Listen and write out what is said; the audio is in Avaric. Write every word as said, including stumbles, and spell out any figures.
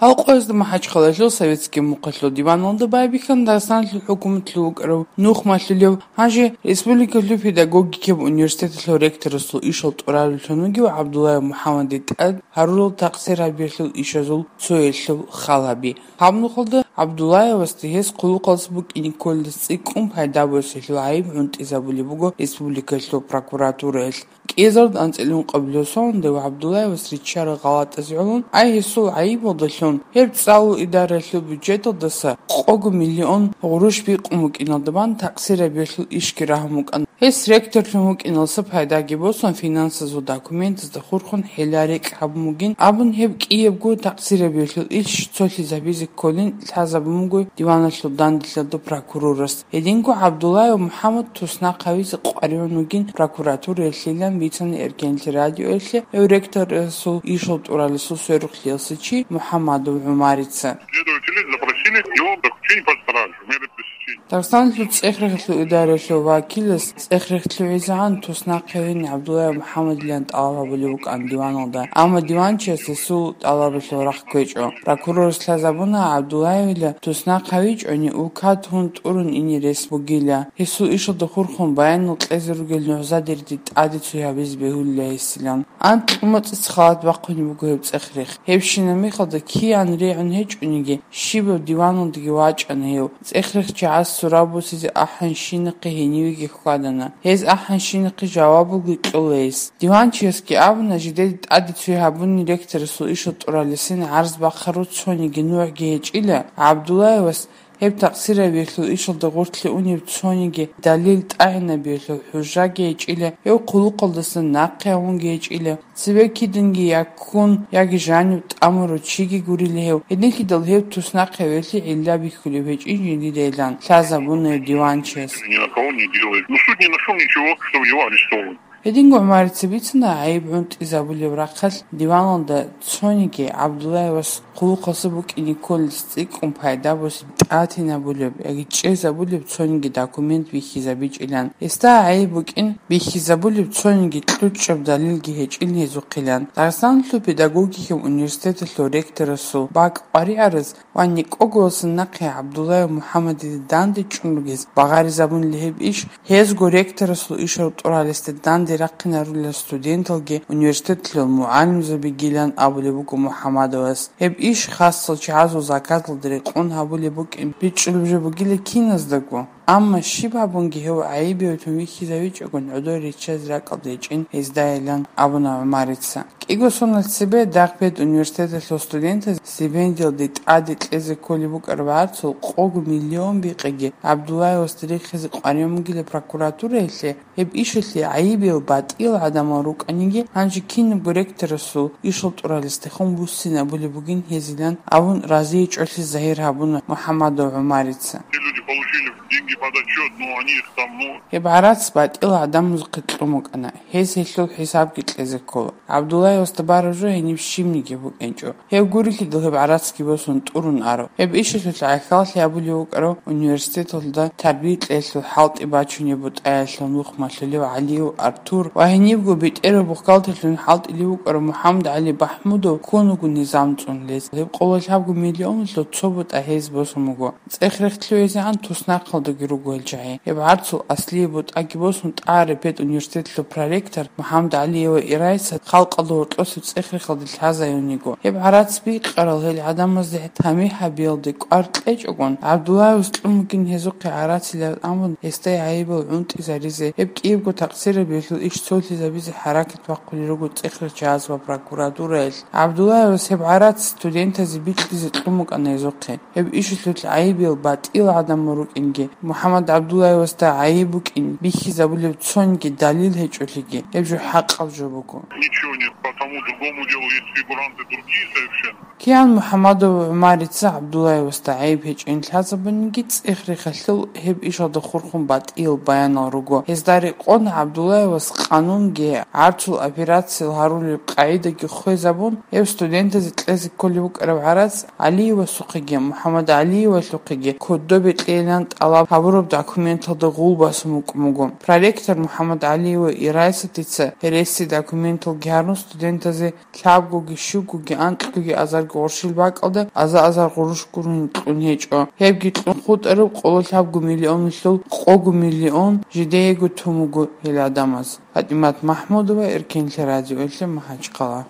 Гьал къоязда МахӀачхъалаялъул Советский мухъалъул диваналда байбихьана Дагъистаналъул хӀукуматалъув вукӀарав нухмалъулев, гьанже республикалъул педагогикаб университеталъул ректорасул ишал тӀуралевлъун вугев ГӀабдуллаев МухӀаммадил тӀад гьарурал такъсир гьабиялъул ишазул цоялъул халаби. Гьаб нухалда ГӀабдуллаевасда гьес хъулухъалъ букӀине кколелдаса цӀикӀкӀун пайда босиялъул гӀайиб гӀунтӀизабулеб буго республикалъул прокуратураялъ. КӀиазарда анцӀила ункъабилеб соналда ГӀабдуллаевас риччарал гъалатӀазе гӀоло, ай гьесул гӀайибалдалъун гьеб цӀалул идараялъул бюджеталдаса къого миллион гъурущ бикъун букӀиналда бан такъсир гьабиялъул ишги рагьун букӀана. Гьес ректорлъун вукӀиналдаса пайдаги босун, финансазул документазда хурхун хӀела-рекь гьабун бугин абун, гьеб кӀиябго такъсир гьабиялъул иш цолъизабизе кколин лъазабун буго диваналъул данделъалда прокурорас. Гьединго ГӀабдуллаев МухӀаммад туснахъ гьавизе къваригӀун вугин прокуратураялъилан бицана Эркенлъи радиоялъе гьев ректорасул ишал тӀуралесул сверухълъиялъе чи МухӀаммадов ГӀумарица. Следователи запросили его заключение под стражу, меры пресечения. Дагъистаналъул цӀех-рехилъул идараялъул вакилас цӀех-рехилъугӀизегӀан туснахъ гьавин ГӀабдуллаев МухӀаммадилан тӀалаб гьабулеб букӀана диваналда, амма диванчияс гьесул тӀалабалъул рахъ кквечӀо. Прокурорас лъазабуна, ГӀабдуллаевила туснахъ гьавичӀони, улкат гьун тӀурун ине рес бугила. Гьесул ишалда хурхун баянал кьезе ругел нугӀзадерги тӀаде цой гьабизе бегьулила гьесилан. Анкь-мацӀица халат бахъунеб буго гьеб цӀех-рех. Гьебщинаб мехалда киян регӀун гьечӀониги, щибаб диваналдаги вачӀана гьев. ЦӀех-рех чагӀаз сураб босизе ахӀанщинахъе гьенивеги хьвадана. Гьез ахӀанщинахъе жавабалги кьола гьес. Диванчиясги абуна, жидеда тӀаде цой гьабуни ректорасул ишал тӀуралесин гӀарз бахъару цониги нугӀги гьечӀила, ГӀабдуллаевас гьеб такъсир гьабиялъул ишалда гъорлъе унеб цониги далил тӀагӀинабиялъул хӀужаги гьечӀила, гьев хъулухъалдаса нахъе гьавунги гьечӀила, цебе киданги я ккун, яги жанив тӀамурав чиги гурила гьев. Гьединлъидал гьев туснахъ гьавиялъе гӀилла бихьулеб гьечӀин жиндидайилан лъазабуна гьев диванчияс. Ни на кого не делает. Ну, суд не нашёл ничего, что его арестовывают. Гьединго ГӀумарица бицана гӀайиб гӀунтӀизабулеб рахъалъ диваналда цониги ГӀабдуллаевас хъулухъалъ букӀине кколелдаса цӀикӀкӀун пайда босизе тӀатинабулеб яги чӀезабулеб цониги документ бихьизабичӀилан. Гьесда гӀайиб букӀин бихьизабулеб цониги кьучӀаб далилги гьечӀин гьезухъилан. Дагъистаналъул педагогикаб университеталъул ректорасул бакӀ къваригӀараз ва никӀогоялдаса нахъе ГӀабдуллаев МухӀаммадида данде чӀун ругез багъаризабунила гьеб иш, гьезго ректорасул ишал тӀуралесда данде рахъинарулел студенталги университеталъул мугӀалимзабигилан абулеб буго МухӀаммадовас. Гьеб иш хасал чагӀазул заказалда рекъон гьабулеб букӀин бичӀчӀулеб жо бугила киназдаго. Амма щиб гьабунги гьев гӀайиб гьечӀого вихьизавичӀогон гӀодор риччазе ракӀалда гьечӀин гьездайилан абуна ГӀумарица. КӀиго соналъ цебе дагъ педуниверситеталъул студентаз стипендиялде тӀаде кьезе кколеб букӀараб гӀарцул къого миллион бикъиги ГӀабдуллаевасда рехизе къваригӀун бугила прокуратураялъе, гьеб ишалъе гӀайибиял батӀиял гӀадамал рукӀаниги, гьанже кинабго ректорасул ишал тӀуралесдехун буссинабулеб бугин гьезилан абун разиячӀолъи загьир гьабуна МухӀаммадов ГӀумарица. Те люди получили деньги под отчёт, но они их там, ну, Гьеб гӀарац батӀиял гӀадамазухъе кьун букӀана, гьез гьелъул хӀисабги кьезе ккола. ГӀабдуллаевасда бараб жо гьениб щибниги букӀинчӀо. Гьеб гурелъидал гьеб гӀарацги босун тӀурун аро. Гьеб ишалъулъ гӀахьаллъи гьабулев вукӀарав университеталда тарбия кьеялъул хӀалтӀи бачунеб бутӀаялъул нухмалъулев ГӀалиев Артур ва гьенибго бетӀерав бухгалтерлъун хӀалтӀулев вукӀарав МухӀаммадгӀали Бахмудов ккун вуго низам цӀунулез. Гьеб къоло лъабго миллионалъул цо бутӀа гьез босун буго. ЦӀех-рех лъугӀизегӀан туснахъалдаги руго гьел чагӀи. Гьеб гӀарцул аслияб бутӀаги босун тӀагӀараб педуниверситетлъул проректор МухӀаммадгӀалиева Ирайса халкъалда гьоркьосеб цӀех-рехалде лъазайун йиго. Гьеб гӀарац бикъарал гьел гӀадамазде тамихӀ гьабиялде кӀвар кьечӀогон, ГӀабдуллаевас кьун бугин гьезухъе гӀарацилан абун, гьесда гӀайибал гӀунтӀизаризе, гьеб кӀиябго такъсирабиялъул иш цолъизабизе хӀаракат бахъулел руго цӀех-рех чагӀаз ва прокуратураялъ. ГӀабдуллаевас гьеб гӀарац студентазе бикьизе кьун букӀана гьезухъе. Гьеб ишалъулъ гӀайибиял батӀиял гӀадамал рукӀинги, МухӀаммад ГӀабдуллаевасда гӀайиб букӀин бихьизабулеб цониги далил гьечӀолъиги, гьеб жо хӀакъаб жо буго. Ничего нет, по тому другому делу есть фигуранты другие совершенно. Киян МухӀаммадов ГӀумарица ГӀабдуллаевасда гӀайиб гьечӀин лъазабуниги, цӀех-рехалъул гьеб ишалда хурхун батӀиял баянал руго. Гьезда рекъон ГӀабдуллаевас къанунги гӀарцул операциял гьарулеб къагӀидаги хвезабун, гьев студентазе кьезе кколеб букӀараб гӀарац ГӀалиевасухъеги МухӀаммадгӀалиевалъухъеги кодобе кьейилан тӀалаб гьабураб документалда гъул басун букӀун буго. Проректор МухӀаммад ГӀалиева Ирайсатица гьереси документалги гьарун студентазе лъабгоги, щугоги, анкьгоги азарго гъурщил бакӀалда аза-азар гъурущ гурони кьун гьечӀо. Гьебги кьун хутӀараб къоло лъабго миллионалъул къого миллион жидеего тун буго гьел гӀадамаз. ПатӀимат МахӀмудова, Эркенлъи радиоялъе, МахӀачхъала.